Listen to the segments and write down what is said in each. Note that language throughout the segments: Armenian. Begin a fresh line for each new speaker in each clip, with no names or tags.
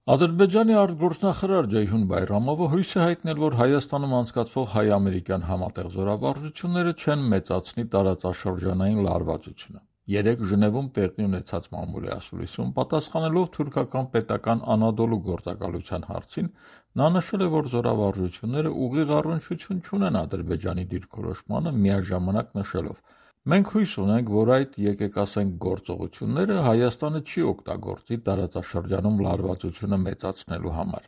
Ադրբեջանի արտգործնախարար Ceyhun Bayramova հույս է հայտնել, որ Հայաստանում անցկացվող հայ-ամերիկյան համատեղ զորավարժությունները չեն մեծացնի տարածաշրջանային լարվածությունը։ Երեկ Ժնևում տեղի ունեցած մամուլի ասուլիսում պատասխանելով թուրքական պետական Անադոլու գործակալության հարցին, նա նշել է, որ զորավարժությունները ուղիղ առնչություն չունեն Ադրբեջանի դիրքորոշմանը, միաժամանակ նշելով. «Մենք հույս ունենք, որ այդ, եկեք ասենք, գործողությունները Հայաստանը չի օգտագործի տարածաշրջանում լարվածությունը մեծացնելու համար»։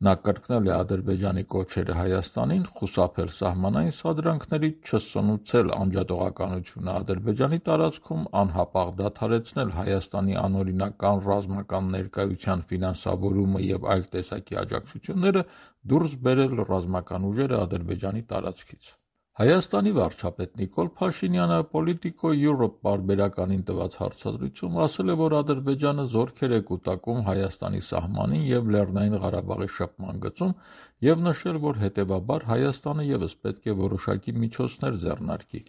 Նա կրկնել է Ադրբեջանի կոչերը Հայաստանին խուսափել սահմանային սադրանքներից, չսնուցել անջատողականությունը Ադրբեջանի տարածքում, անհապաղ դադարեցնել Հայաստանի անօրինական ռազմական ներկայության ֆինանսավորումը և այլ տեսակի աջակցությունները, դուրս բերել ռազմական ուժերը Ադրբեջանի տարածքից։ Հայաստանի վարչապետ Նիկոլ Փաշինյանը Politico Europe պարբերականին տված հարցազրույցում ասել է, որ Ադրբեջանը զորքեր է կուտակում Հայաստանի սահմանին և Լեռնային Ղարաբաղի շփման գծում և նշել, որ հետևաբար Հայաստանը ևս պետք է որոշակի միջոցներ ձեռնարկի։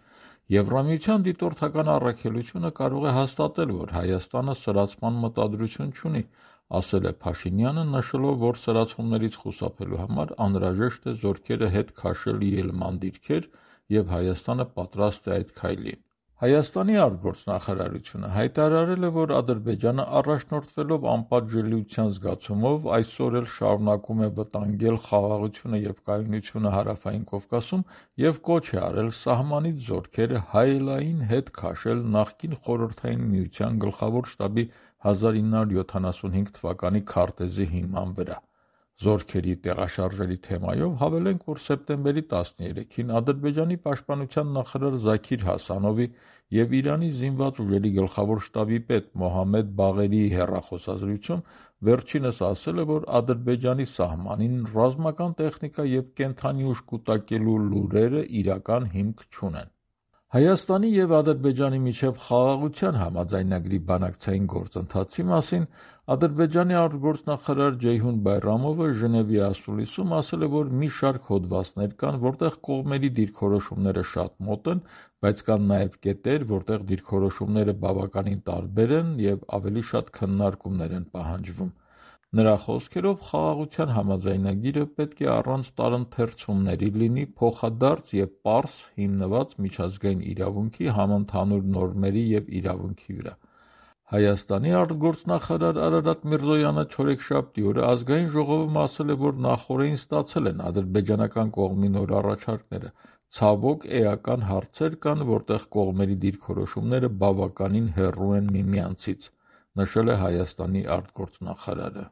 Եվրամիության դիտորդական առաքելությունը կարող է հաստատել, որ Հայաստանը սրացման մտադրություն չունի, ասել է Փաշինյանը, նշելով, որ սրացումներից խուսափելու համար անհրաժեշտ է զորքերը հետ քաշել ելման դիրքեր և Հայաստանը պատրաստ է այդ քայլին։ Հայաստանի արտգործնախարարությունը հայտարարել է, որ Ադրբեջանը առաջնորդվելով անպատժելիության զգացումով այսօր էլ շարունակում է վտանգել խաղաղությունը և կայունությունը Հարավային Կովկասում և կոչ է արել սահմանից զորքերը հայելային հետ քաշել նախկին Խորհրդային Միության գլխավոր շտաբի 1975 թվականի քարտեզի հիման վրա։ Զորքերի տեղաշարժերի թեմայով հավելենք, որ սեպտեմբերի 13-ին Ադրբեջանի պաշտպանության նախարար Զաքիր Հասանովի և Իրանի զինված ուժերի գլխավոր շտաբի պետ Մոհամմեդ Բաղերիի հեռախոսազրույցում վերջինս ասել է, որ Ադրբեջանի սահմանին ռազմական տեխնիկա և կենդանի ուժ կուտակելու լուրերը իրական հիմք չունեն։ Հայաստանի և Ադրբեջանի միջև խաղաղության համաձայնագրի բանակցային գործընթացի մասին Ադրբեջանի արտգործնախարար Ceyhun Bayramova Ժնևի ասուլիսում ասել է, որ մի շարք հոդվածներ կան, որտեղ կողմերի դիրքորոշումները շատ մոտ են, բայց կան նաև կետեր, որտեղ դիրքորոշումները բավականին տարբեր են և ավելի շատ քննարկումներ են պահանջվում։ Նրա խոսքերով, խաղաղության համաձայնագիրը պետք է առանց տարընթերցումների լինի փոխադարձ և պարզ հիմնված միջազգային իրավունքի, համընդհանուր նորմերի և իրավունքի վրա։ Հայաստանի արտգործնախարար Արարատ Միրզոյանը չորեքշաբթի օրը Ազգային ժողովում ասել է, որ նախօրեին ստացել են ադրբեջանական կողմի նոր առաջարկները։ Ցավոք, էական հարցեր կան, որտեղ կողմերի դիրքորոշումները բավականին հեռու են միմյանցից, նշել է Հայաստանի արտգործնախարարը։